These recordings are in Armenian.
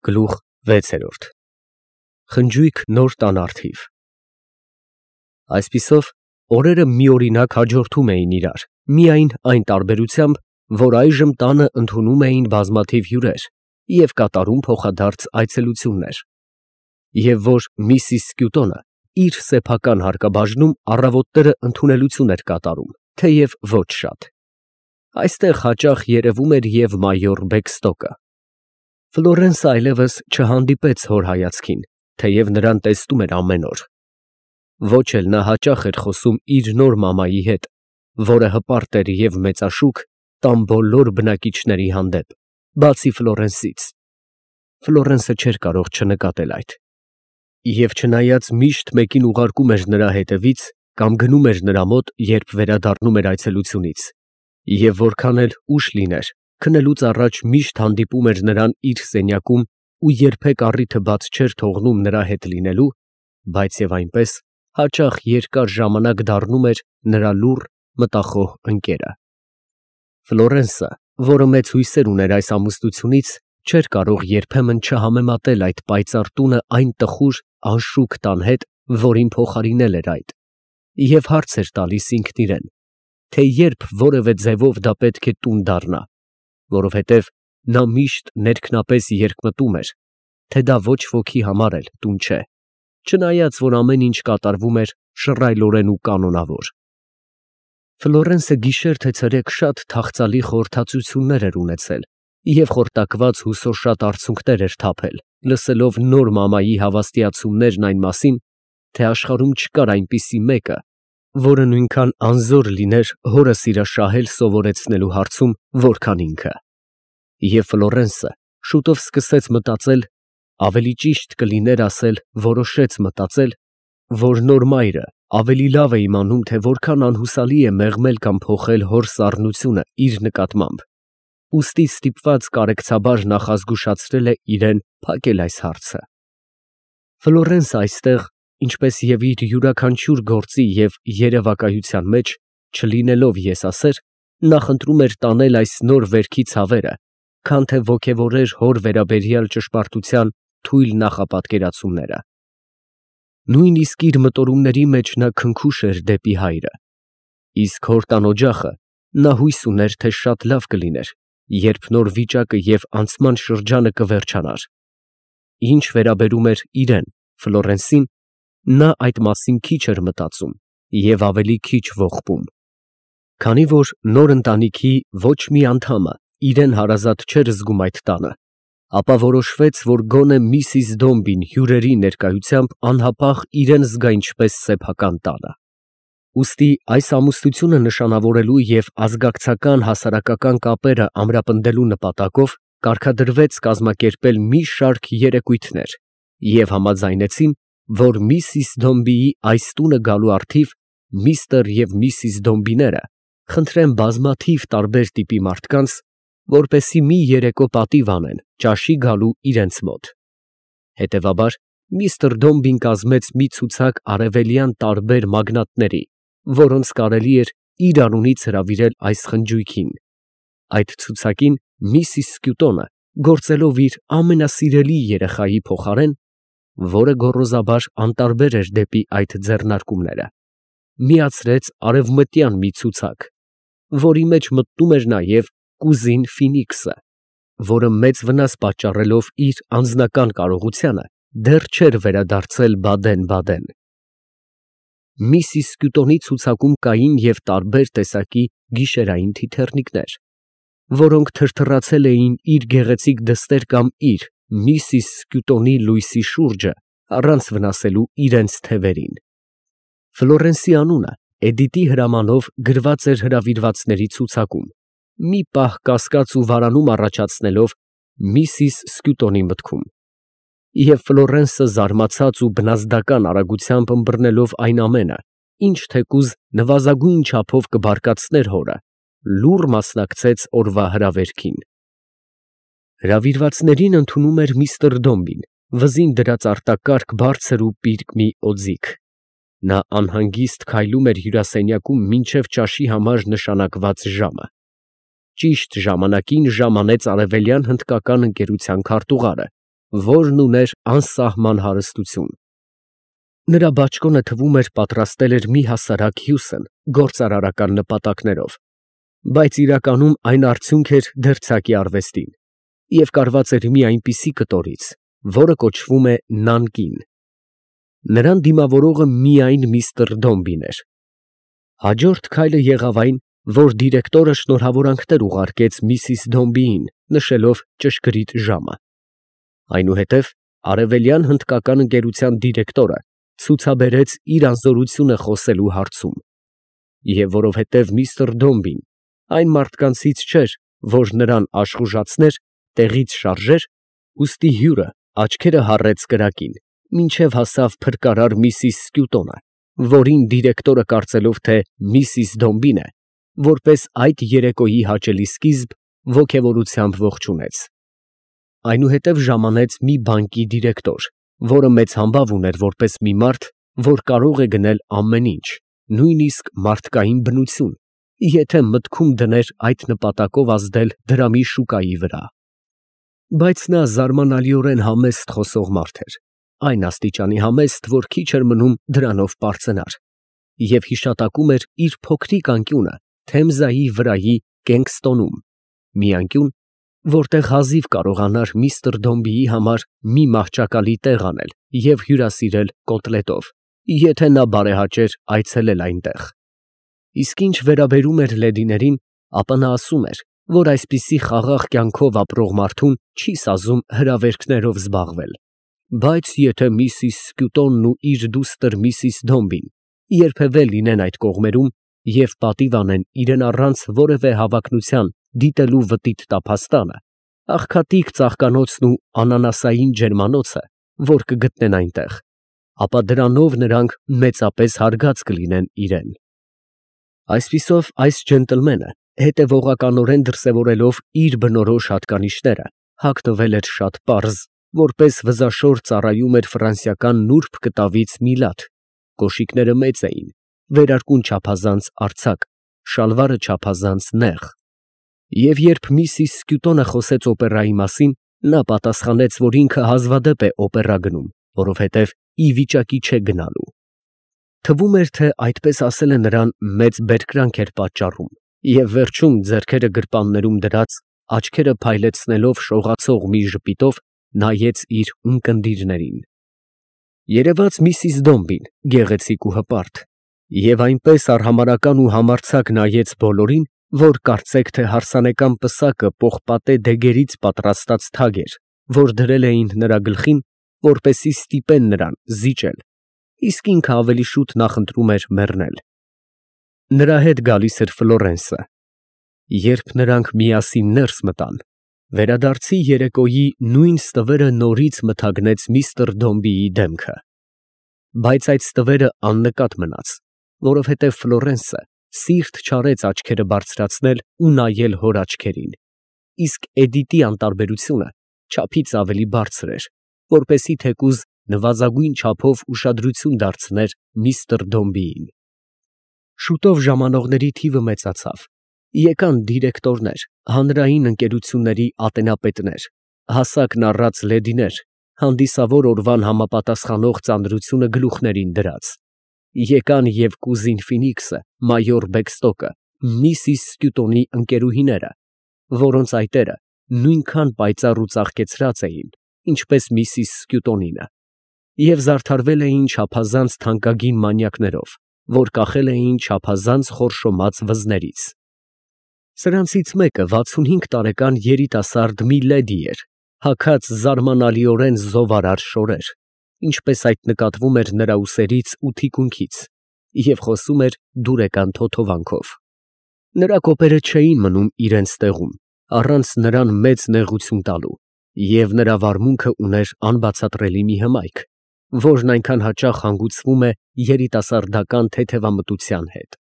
Գլուխ 6 Խնջույք նոր տանարդիվ Այսպիսով օրերը միօրինակ հաջորդում էին իրար, միայն այն տարբերությամբ, որ այժմ տանը ընդունում էին բազմաթիվ հյուրեր և կատարում փոխադարձ այցելություններ, և որ Միսիս Սկյուտոնը իր սեփական հարկաբաժնում առավոտները ընդունելություն էր կատարում, թեև ոչ շատ։ Այստեղ հաճախ երևում էր և մայոր Բեքստոկը։ Ֆլորենսը այլևս չհանդիպեց հոր հայացքին, թեև նրան տեսնում էր ամեն օր։ Ոչ էլ նա հաճախ էր խոսում իր նոր մամայի հետ, որը հպարտ էր և մեծաշուք տան բոլոր բնակիչների հանդեպ, բացի Ֆլորենսից։ Ֆլորենսը չէր կարող չնկատել այդ։ Եվ չնայած միշտ մեկին ուղարկում էր նրա հետևից կամ գնում էր նրա մոտ, երբ վերադառնում էր այցելությունից, և որքան էլ ուշ լիներ, քնելուց առաջ միշտ հանդիպում էր նրան իր սենյակում ու երբեք առիթը բաց չէր թողնում նրա հետ լինելու, բայց և այնպես հաճախ երկար ժամանակ դառնում էր նրա լուռ, մտախոհ ընկերը։ Ֆլորենսը, որը մեծ հույսեր ուներ այս ամուսնությունից, չէր կարող երբեմն չհամեմատել այդ պայծառ տունը այն տխուր, անշուք տան հետ, որին փոխարինել էր այդ, և հարց էր տալիս ինքն իրեն, թե երբ որևէ ձևով դա պետք է տուն դառնա, որովհետև նա միշտ ներքնապես երկմտում էր, թե դա ոչ ոքի համար էլ տուն չէ, չնայած որ ամեն ինչ կատարվում էր շռայլորեն ու կանոնավոր։ Ֆլորենսը գիշեր թե ցերեկ շատ թախծալի խորհրդածություններ էր ունեցել և խորտակված հուսոշատ արցունքներ էր թափել, լսելով նոր մամայի հավաստիացումներն այն մասին, թե աշխարհում չկար այնպիսի մեկը, որը նույնքան անզոր լիներ հորը սիրաշահել սովորեցնելու հարցում, որքան ինքը։ Եվ Ֆլորենսը շուտով սկսեց մտածել, ավելի ճիշտ կլիներ ասել որոշեց մտածել, որ նոր մայրը ավելի լավ է իմանում, թե որքան անհուսալի է մեղմել կամ փոխել հոր սառնությունը իր նկատմամբ, ուստի ստիպված կարեկցաբար նախազգուշացրել է իրեն փակել այս հարցը։ Ֆլորենսը այստեղ, ինչպես և իր յուրաքանչյուր գործի և երևակայության մեջ, չլինելով եսասեր, նախընտրում էր տանել այս նոր վերքի ցավերը, քան թե ոգևորեր հոր վերաբերյալ ճշմարտության թույլ նախապատկերացումները։ Նույնիսկ իր մտորումների մեջ նա քնքուշ էր դեպի հայրը, իսկ հոր տան օջախը նա հույս ուներ, թե շատ լավ կլիներ, երբ նոր վիճակը և անցման շրջանը կվերջանար։ Ինչ վերաբերում էր իրեն, Ֆլորենսին, նա այդ մասին քիչ էր մտածում և ավելի քիչ ողբում։ Քանի որ նոր ընտանիքի ոչ մի անդամը իրեն հարազատ չէր զգում այդ տանը, ապա որոշվեց, որ գոնե Միսիս Դոմբին հյուրերի ներկայությամբ անհապաղ իրեն զգա ինչպես սեփական տանը։ Ուստի այս ամուսնությունը նշանավորելու և ազգակցական հասարակական կապերը ամրապնդելու նպատակով կարգադրվեց կազմակերպել մի շարք երեկույթներ և համաձայնեցին, որ Միսիս Դոմբիի այս տունը գալու առթիվ միստր և Միսիս Դոմբիները խնդրեն բազմաթիվ տարբեր տիպի մարդկանց, որպեսզի մի երեկո պատիվ անեն ճաշի գալու իրենց մոտ։ Հետևաբար միստր Դոմբին կազմեց մի ցուցակ արևելյան տարբեր մագնատների, որոնց կարելի էր իր անունից հրավիրել այս խնջույքին։ Այդ ցուցակին Միսիս Սկյուտոնը, գործելով իր ամենասիրելի երեխայի փոխարեն, որը գոռոզաբար անտարբեր էր դեպի այդ ձեռնարկումները, միացրեց արևմտյան մի ցուցակ, որի մեջ մտնում էր նաև կուզին Ֆինիքսը, որը մեծ վնաս պատճառելով իր անձնական կարողությանը, դեռ չէր վերադարձել Բադեն։ Միսիս Սկյուտոնի ցուցակում կային և տարբեր տեսակի գիշերային թիթեռնիկներ, որոնք թրթռացել էին իր գեղեցիկ դստեր կամ իր Միսիս Սկյուտոնի լույսի շուրջը առանց վնասելու իրենց թևերին։ Ֆլորենսի անունը Էդիտի հրամանով գրված էր հրավիրվածների ցուցակում, մի պահ կասկած ու վարանում առաջացնելով Միսիս Սկյուտոնի մտքում։ Եվ Ֆլորենսը զարմացած ու բնազդական արագությամբ ըմբռնելով այն ամենը, ինչ թեկուզ նվազագույն չափով կբարկացներ հորը, լուռ մասնակցեց օրվա հրավերքին։ Հրավիրվածներին ընդունում էր միստր Դոմբին, վզին դրած արտակարգ բարձր ու պիրկ մի օձիք։ Նա անհանգիստ քայլում էր հյուրասենյակում մինչև ճաշի համար նշանակված ժամը։ Ճիշտ ժամանակին ժամանեց արևելյան հնդկական ընկերության քարտուղարը, որն ուներ անսահման հարստություն։ Նրա բաճկոնը թվում էր պատրաստել էր մի հասարակ Հյուսեն գործարարական նպատակներով, բայց իրականում այն արդյունք էր դերձակի արվեստին և կարված էր մի այնպիսի կտորից, որը կոչվում է նանկին։ Նրան դիմավորողը միայն միստր Դոմբին էր։ Հաջորդ քայլը եղավ այն, որ դիրեկտորը շնորհավորանքներ ուղարկեց միսիս Դոմբիին, նշելով ճշգրիտ ժամը։ Այնուհետև արևելյան հնդկական ընկերության դիրեկտորը ցուցաբերեց իր անզորությունը խոսելու հարցում, և որովհետև միստր Դոմբին այն մարդկանցից չէր, որ նրան աշխուժացներ, տեղից շարժեր, ուստի հյուրը աչքերը հառեց կրակին, մինչև հասավ փրկարար միսիս Սկյուտոնը, որին դիրեկտորը կարծելով, թե միսիս Դոմբին է, որպես այդ երեկոյի հաճելի սկիզբ, ոգևորությամբ ողջունեց։ Այնուհետև ժամանեց մի բանկի դիրեկտոր, որը մեծ համբավ ուներ որպես մի մարդ, որ կարող է գնել ամեն ինչ, նույնիսկ մարդկային բնություն, եթե մտքում դներ այդ նպատակով ազդել դրամի շուկայի վրա։ Բայց նա զարմանալիորեն համեստ խոսող մարդ էր, այն աստիճանի համեստ, որ քիչ էր մնում դրանով պարծենար, և հիշատակում էր իր փոքրիկ անկյունը Թեմզայի վրայի Կենգստոնում, մի անկյուն, որտեղ հազիվ կարողանար միստր Դոմբիի համար մի մահճակալի տեղ անել և հյուրասիրել կոտլետով, եթե նա բարեհաճեր այցելել այնտեղ։ Իսկ ինչ վերաբերում էր լեդիներին, ապա նա ասում էր, որ այսպիսի խաղաղ կյանքով ապրող մարդուն չի սազում հրավերքներով զբաղվել, բայց եթե միսիս Սկյուտոնն ու իր դուստր միսիս Դոմբին երբևէ լինեն այդ կողմերում և պատիվ անեն իրեն առանց որևէ հավակնության դիտելու վտիտ տափաստանը, աղքատիկ ծաղկանոցն ու անանասային ջերմանոցը, որ կգտնեն այնտեղ, ապա դրանով նրանք մեծապես հարգած կլինեն իրեն։ Այսպիսով այս ջենտլմենը, հետևողականորեն դրսևորելով իր բնորոշ հատկանիշները, հագնվել էր շատ պարզ, որպես վզաշոր ծառայում էր ֆրանսիական նուրբ կտավից մի լաթ, կոշիկները մեծ էին, վերարկուն չափազանց արձակ, շալվարը չափազանց նեղ։ Եվ երբ միսիս Սկյուտոնը խոսեց օպերայի մասին, նա պատասխանեց, որ ինքը հազվադեպ է օպերա գնում, որովհետև ի վիճակի չէ գնալու։ Թվում էր, թե այդպես ասելը նրան մեծ բերկրանք էր պատճառում, և վերջում ձեռքերը գրպաններում դրած, աչքերը փայլեցնելով շողացող մի ժպիտով նայեց իր ունկնդիրներին։ Երևաց միսիս Դոմբին, գեղեցիկ ու հպարտ, և այնպես արհամարհական ու համարձակ նայեց բոլորին, որ կարծեք, թե հարսանեկան պսակը պողպատե դեգերից պատրաստած թագ էր, որ դրել էին նրա գլխին, որպեսզի ստիպեն նրան զիջել, իսկ ինքը ավելի շուտ նախընտրում էր մեռնել։ Նրա հետ գալիս էր Ֆլորենսը։ Երբ նրանք միասին ներս մտան, վերադարձի երեկոյի նույն ստվերը նորից մթագնեց միստր Դոմբիի դեմքը։ Բայց այդ ստվերը աննկատ մնաց, որովհետև Ֆլորենսը սիրտ չարեց աչքերը բարձրացնել ու նայել հոր աչքերին, իսկ Էդիտի անտարբերությունը չափից ավելի բարձր էր, որպեսզի թեկուզ նվազագույն չափով ուշադրություն դարձներ միստր Դոմբիին։ Շուտով ժամանողների թիվը մեծացավ, եկան դիրեկտորներ, հանրային ընկերությունների ատենապետներ, հասակն առած լեդիներ, հանդիսավոր օրվան համապատասխանող ծանրությունը գլուխներին դրած, եկան և կուզին Ֆինիքսը, մայոր Բեքստոկը, միսիս Սկյուտոնի ընկերուհիները, որոնց այտերը նույնքան պայծառ ու ծաղկեցրած էին, ինչպես միսիս Սկյուտոնինը, և զարդարվել էին չափազանց թանկագին մանյակներով, որ կախել էին չափազանց խորշոմած վզներից։ Սրանցից մեկը 65 տարեկան երիտասարդ մի լեդի էր, հագած զարմանալիորեն զովարար շորեր, ինչպես այդ նկատվում էր նրա ուսերից ու թիկունքից, և խոսում էր դուրեկան թոթովանքով։ Նրա կոպերը չէին մնում իրենց տեղում, առանց նրան մեծ նեղություն տալու, և նրա վարմունքը ուներ անբացատրելի մի հմայք, որն այնքան հաճախ հանգուցվում է երիտասարդական թեթևամտության հետ։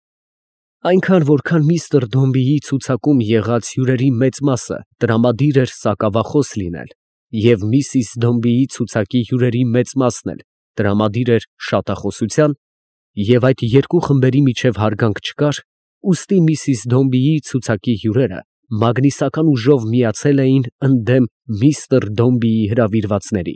Այնքան, որքան միստր Դոմբիի ցուցակում եղած հյուրերի մեծ մասը տրամադիր էր սակավախոս լինել, և միսիս Դոմբիի ցուցակի հյուրերի մեծ մասն էլ տրամադիր էր շատախոսության, և այդ երկու խմբերի միջև հարգանք չկար, ուստի միսիս Դոմբիի ցուցակի հյուրերը մագնիսական ուժով միացել էին ընդդեմ միստր Դոմբիի հրավիրվածների,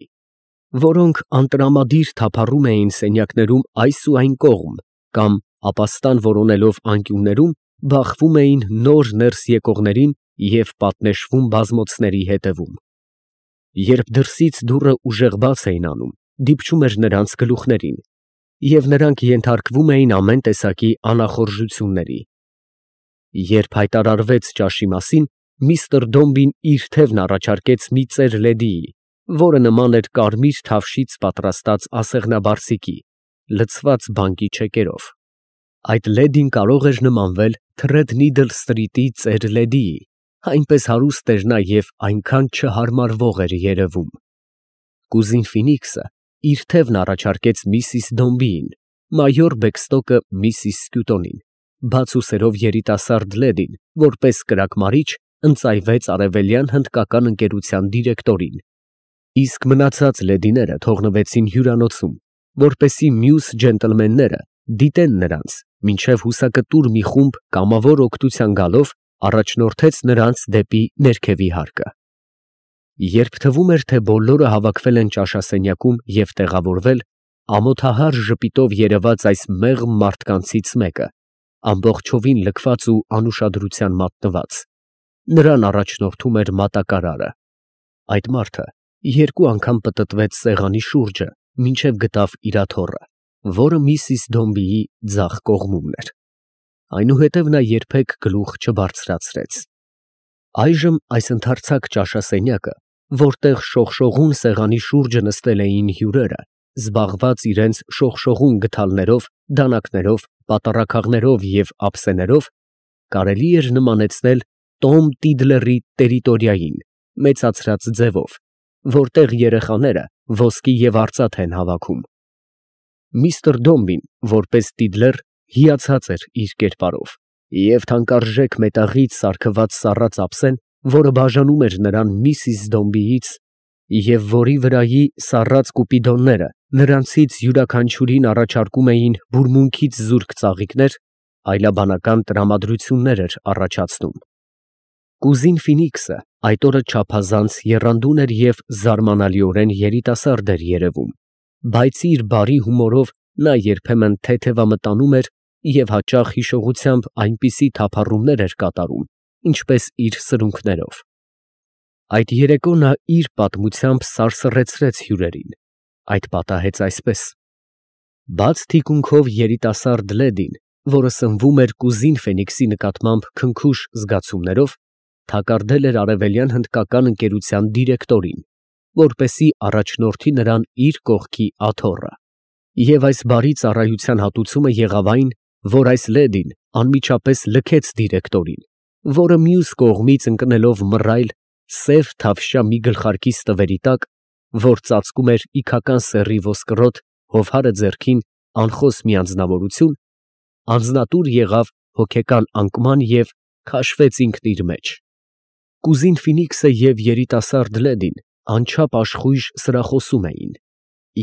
որոնք անտրամադիր թափառում էին սենյակներում այս ու այն կողմ կամ ապաստան որոնելով անկյուններում բախվում էին նոր ներս եկողներին և պատնեշվում բազմոցների հետևում։ Երբ դրսից դուռը ուժեղ բաց էին անում, դիպչում էր նրանց գլուխներին, և նրանք ենթարկվում էին ամեն տեսակի անախորժությունների։ Երբ հայտարարվեց ճաշի մասին, միստր Դոմբին իր թևն առաջարկեց մի ծեր լեդիի, որը նման էր կարմիր թավշից պատրաստած ասեղնաբարսիկի, լցված բանկի չեկերով։ Այդ լեդին կարող էր նմանվել Թրեդնիդլ Սթրիթի ծեր լեդիի, այնպես հարուստ էր նա և այնքան չհարմարվող էր երևում։ Կուզին Ֆինիքսը իր թևն առաջարկեց միսիս Դոմբիին, մայոր Բեքստոկը միսիս Սկյուտոնին, բաց ուսերով երիտասարդ լեդին, որպես կրակմարիչ, ընծայվեց արևելյան հնդկական ընկերության դիրեկտորին, իսկ մնացած լեդիները թողնվեցին հյուրանոցում, որպեսզի մյուս ջենտլմենները դիտեն նրանց, մինչև հուսակտուր մի խումբ կամավոր օգնության գալով առաջնորդեց նրանց դեպի ներքևի հարկը։ Երբ թվում էր, թե բոլորը հավաքվել են ճաշասենյակում և տեղավորվել, ամոթահար ժպիտով երևաց այս մեղմ մարդկանցից մեկը, ամբողջովին լքված ու անուշադրության մատնված. նրան առաջնորդում էր մատակարարը։ Այդ մարդը երկու անգամ պտտվեց սեղանի շուրջը, մինչև գտավ իր աթոռը, որը միսիս Դոմբիի ձախ կողմումն էր։ Այնուհետև նա երբեք գլուխ չբարձրացրեց։ Այժմ այս ընդարձակ ճաշասենյակը, որտեղ շողշողուն սեղանի շուրջը նստել էին հյուրերը, զբաղված իրենց շողշողուն գդալներով, դանակներով, պատառաքաղներով և ափսեներով, կարելի էր նմանեցնել Տոմ Տիդլերի տերիտորիային, մեծացրած ձևով, որտեղ երեխաները ոսկի և արծաթ են հավաքում։ Միստր Դոմբին, որպես Տիդլեր, հիացած էր իր կերպարով, և թանկարժեք մետաղից սարքված սառած ափսեն, որը բաժանում էր նրան միսիս Դոմբիից, և որի վրայի սառած կուպիդոնները նրանցից յուրաքանչյուրին առաջարկում էին բուրմունքից զուրկ ծաղիկներ, այլաբանական տրամադրություններ էր առաջացնում։ Կուզին Ֆինիքսը այդ օրը չափազանց եռանդուն էր և զարմանալիորեն երիտասարդ էր երևում, բայց իր բարի հումորով նա երբեմն թեթևամտանում էր և հաճախ հիշողությամբ այնպիսի թափառումներ էր կատարում, ինչպես իր սրունքներով։ Այդ երեկո նա իր պատմությամբ սարսռեցրեց հյուրերին, այդ պատահեց այսպես. բաց թիկունքով երիտասարդ լեդին, որը սնվում էր կուզին Ֆենիքսի նկատմամբ քնքուշ զգացումներով, թակարդել էր արևելյան հնդկական ընկերության դիրեկտորին, որպեսզի առաջնորդի նրան իր կողքի աթոռը։ Եվ այս բարի ծառայության հատուցումը եղավ այն, որ այս լեդին անմիջապես լքեց դիրեկտորին, որը մյուս կողմից ընկնելով մռայլ, սև թավշյա մի գլխարկի ստվերի տակ, որ ծածկում էր իգական սեռի ոսկրոտ, հովհարը ձեռքին, անխոս մի անձնավորություն, անձնատուր եղավ հոգեկան անկման և քաշվեց ինքն իր մեջ։ Կուզին Ֆինիքսը և երիտասարդ լեդին անչափ աշխույժ սրախոսում էին,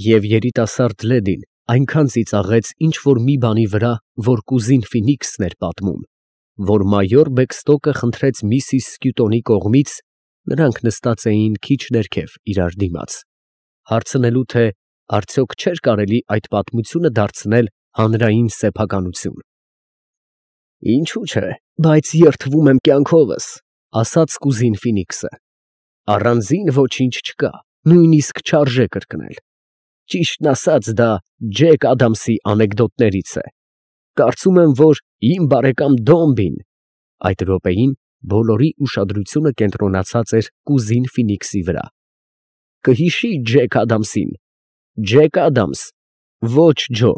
և երիտասարդ լեդին այնքան ծիծաղեց ինչ֊որ մի բանի վրա, որ կուզին Ֆինիքսն էր պատմում, որ մայոր Բեքստոկը խնդրեց միսիս Սկյուտոնի կողմից (նրանք նստած էին քիչ ներքև, իրար դիմաց) հարցնելու, թե արդյոք չէր կարելի այդ պատմությունը դարձնել հանրային սեփականություն։ «Ինչու՞ չէ, բայց երդվում եմ կյանքովս», ֊ ասաց կուզին Ֆինիքսը։ «Առանձին ոչինչ չկա, նույնիսկ չարժե կրկնել։ Ճիշտն ասած, դա Ջեք Ադամսի անեկդոտներից է։ Կարծում եմ, որ իմ բարեկամ Դոմբին» (այդ րոպեին բոլորի ուշադրությունը կենտրոնացած էր կուզին Ֆինիքսի վրա) «կհիշի Ջեք Ադամսին։ Ջեք Ադամս, ոչ Ջո,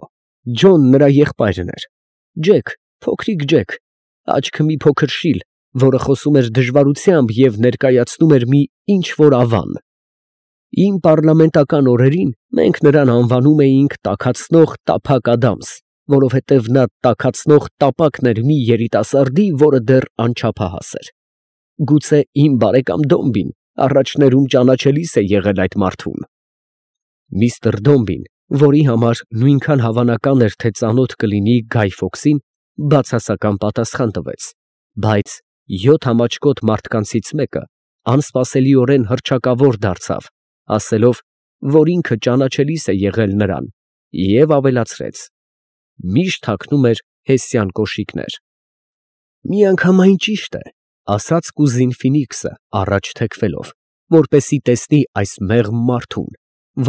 Ջոն նրա եղբայրն էր, Ջեք, փոքրիկ Ջեք, աչքը մի փոքր շիլ, որը խոսում էր դժվարությամբ և ներկայացնում էր մի ինչ֊որ ավան։ Իմ պառլամենտական օրերին մենք նրան անվանում էինք Տաքացնող Տափակ Ադամս, որովհետև նա տաքացնող տապակն էր մի երիտասարդի, որը դեռ անչափահաս էր։ Գուցե իմ բարեկամ Դոմբին առաջներում ճանաչելիս է եղել այդ մարդուն»։ Միստր Դոմբին, որի համար նույնքան հավանական էր, թե ծանոթ կլինի Գայ Ֆոքսին, բացասական պատասխան տվեց, բայց 7 համաճկոտ մարդկանցից մեկը անսպասելիորեն հռչակավոր դարձավ, ասելով, որ ինքը ճանաչելիս է եղել նրան, և ավելացրեց. «Միշտ հագնում էր հեսյան կոշիկներ»։ «Միանգամայն ճիշտ է», ասաց կուզին Ֆինիքսը առաջ թեքվելով, որպեսզի տեսնի այս մեղմ մարդուն,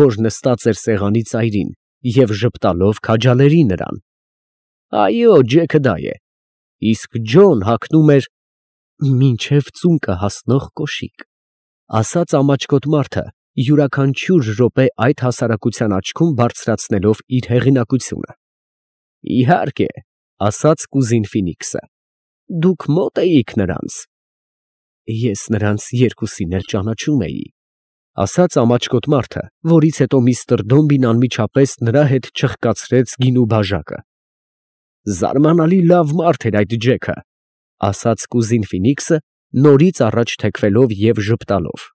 որ նստած էր սեղանի ծայրին և ժպտալով քաջալերի նրան։ «Այո, Ջեքը դա է, իսկ Ջոն հագնում էր մինչև ծունկը հասնող կոշիկ», ասաց ամաչկոտ մարդը, յուրաքանչյուր րոպե այդ հասարակության աչքում բարձրացնելով իր հեղինակությունը։ «Իհարկե», ասաց կուզին Ֆինիքսը, «դուք մոտ էիք նրանց»։ «Ես նրանց երկուսին էլ ճանաչում էի», ասաց ամաչկոտ մարդը, որից հետո միստր Դոմբին անմիջապես նրա հետ չխկացրեց գինու բաժակը։ «Զարմանալի լավ մարդ էր այդ Ջեքը», ասաց կուզին Ֆինիքսը, նորից առաջ թեքվելով և ժպտալով։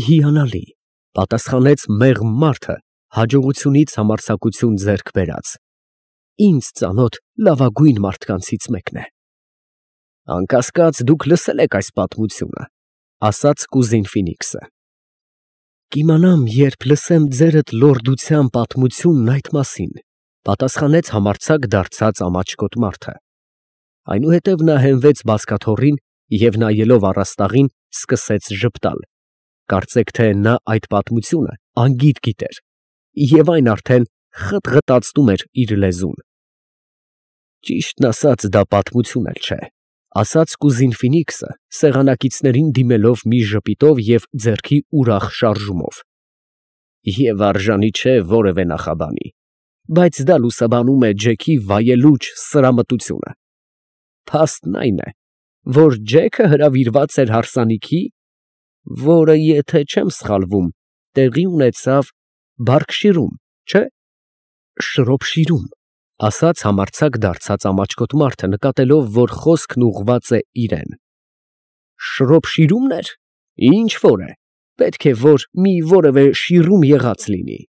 «Հիանալի», պատասխանեց մեղմ մարդը, հաջողությունից համարձակություն ձեռք բերած։ «Ինձ ծանոթ լավագույն մարդկանցից մեկն է»։ «Անկասկած, դուք լսել եք այս պատմությունը», ասաց կուզին Ֆինիքսը։ «Կիմանամ, երբ լսեմ ձերդ լորդության պատմությունն այդ մասին», պատասխանեց համարձակ դարձած ամաչկոտ մարդը։ Այնուհետև նա հենվեց բազկաթոռին և նայելով առաստաղին սկսեց ժպտալ, կարծեք թե նա այդ պատմությունը անգիտ գիտեր, և այն արդեն խտղտացնում էր իր լեզուն։ «Ճիշտն ասած, դա պատմություն էլ չէ», ասաց կուզին Ֆինիքսը, սեղանակիցներին դիմելով մի ժպիտով և ձեռքի ուրախ շարժումով։ «Եվ արժանի չէ որևէ նախաբանի, բայց դա լուսաբանում է Ջեքի վայելուչ սրամտությունը։ Փաստն այն է, որ Ջեքը հրավիրված էր հարսանիքի, որը, եթե չեմ սխալվում, տեղի ունեցավ Բարգշիրում, չէ՞։ Շրոփշիրում, ասաց համարձակ դարձած ամաչկոտ մարդը, նկատելով, որ խոսքն ուղղված է իրան։ Շրոփշիրումն էր, ինչ որ է, պետք է որ մի որևէ շիրում եղած լինի,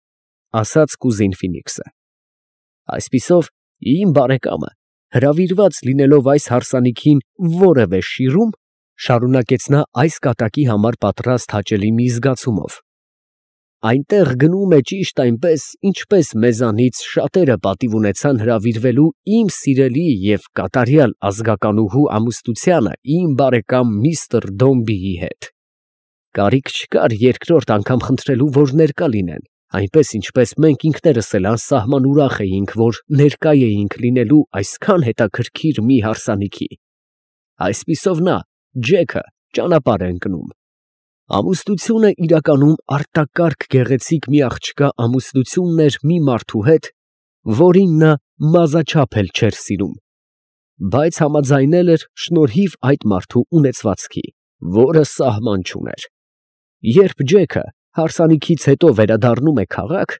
ասաց կուզին Ֆինիքսը։ Այսպիսով, իմ բարեկամը, հրավիրված լինելով այս հարսանիքին որևէ շիրում, շարունակեց նա այս կատակի համար պատրաստ հաճելի մի զգացումով, այնտեղ գնում է ճիշտ այնպես, ինչպես մեզանից շատերը պատիվ ունեցան հրավիրվելու իմ սիրելի և կատարյալ ազգականուհու ամուսնությանը իմ բարեկամ միստր Դոմբիի հետ։ Կարիք չկար երկրորդ անգամ խնդրելու, որ ներկա լինեն, այնպես ինչպես մենք ինքներս էլ անսահման ուրախ էինք, որ ներկա էինք լինելու այսքան հետաքրքիր մի հարսանիքի։ Այսպիսով նա, Ջեքը, ճանապարհ է ընկնում։ Ամուսնությունը իրականում արտակարգ գեղեցիկ մի աղջկա ամուսնությունն էր մի մարդու հետ, որին նա մազաչափ էլ չէր սիրում, բայց համաձայնել էր շնորհիվ այդ մարդու ունեցվածքի, որը սահման չուներ։ Երբ Ջեքը հարսանիքից հետո վերադառնում է քաղաք,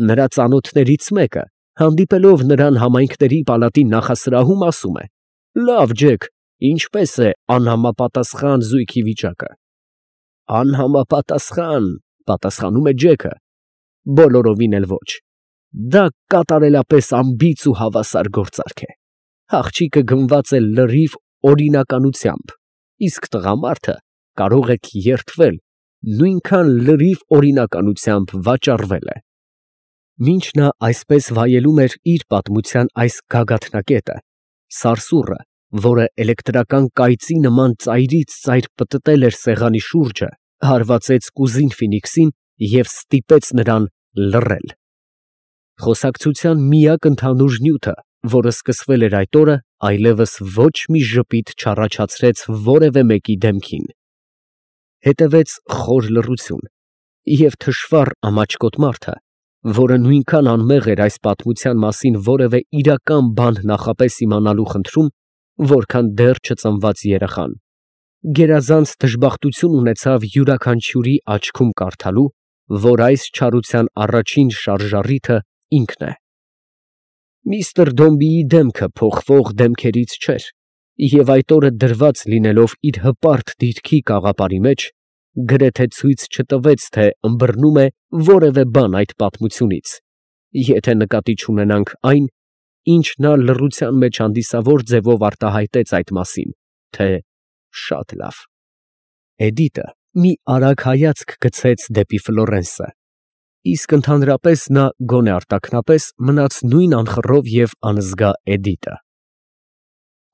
նրա ծանոթներից մեկը, հանդիպելով նրան համայնքների պալատի նախասրահում, ասում է. «Լավ, Ջեք, ինչպես է անհամապատասխան զույգի վիճակը»։ «Անհամապատասխան», պատասխանում է Ջեքը, բոլորովին էլ ոչ։ Դա կատարելապես անբիծ ու հավասար գործարք է։ Աղջիկը գնված է լրիվ օրինականությամբ, իսկ տղամարդը կարող եք երդվել, նույնքան լրիվ օրինականությամբ վաճառվել է։ Մինչ նա այսպես վայելում էր իր պատմության այս գագաթնակետը, սարսուռը, որը էլեկտրական կայծի նման ծայրից ծայր պտտել էր սեղանի շուրջը, հարվածեց կուզին Ֆինիքսին և ստիպեց նրան լռել։ Խոսակցության միակ ընդհանուր նյութը, որը սկսվել էր այդ օրը, այլևս ոչ մի ժպիտ չառաջացրեց որևէ մեկի դեմքին։ Հետևեց խոր լռություն, և թշվառ ամաչկոտ մարդը, որը նույնքան անմեղ էր այս պատմության մասին որևէ իրական բան նախապես իմանալու խնդրում, որքան դեռ չծնված երեխան, գերազանց դժբախտություն ունեցավ յուրաքանչյուրի աչքում կարդալու, որ այս չարության առաջին շարժառիթը ինքն է։ Միստր Դոմբիի դեմքը փոխվող դեմքերից չէր, և այդ օրը դրված լինելով իր հպարտ դիրքի կաղապարի մեջ, գրեթե ցույց չտվեց, թե ըմբռնում է որևէ բան այդ պատմությունից, եթե նկատի չունենանք այն, ինչ նա լռության մեջ հանդիսավոր ձևով արտահայտեց այդ մասին, թե Շատ լավ։ Էդիտը մի արագ հայացք գցեց դեպի Ֆլորենսը, իսկ ընդհանրապես նա գոնե արտաքնապես մնաց նույն անխռով և անզգա Էդիտը։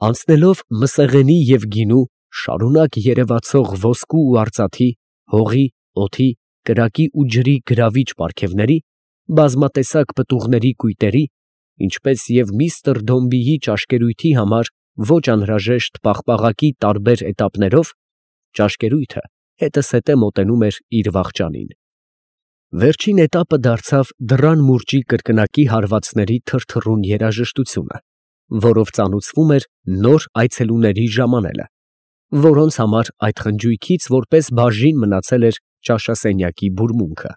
Անցնելով Մսեղենի և գինու շարունակ երևացող ոսկու ու արծաթի, հողի, օդի, կրակի ու ջրի գրավիչ պարգևների, բազմատեսակ պտուղների կույտերի, ինչպես և միստր Դոմբիի ճաշկերույթի համար ոչ անհրաժեշտ պաղպաղակի տարբեր էտապներով, ճաշկերույթը հետզհետե մոտենում էր իր վախճանին։ Վերջին էտապը դարձավ դռան մուրճի կրկնակի հարվածների թրթռուն երաժշտությունը, որով ծանուցվում էր նոր այցելուների ժամանելը, որոնց համար այդ խնջույքից որպես բաժին մնացել էր ճաշասենյակի բուրմունքը։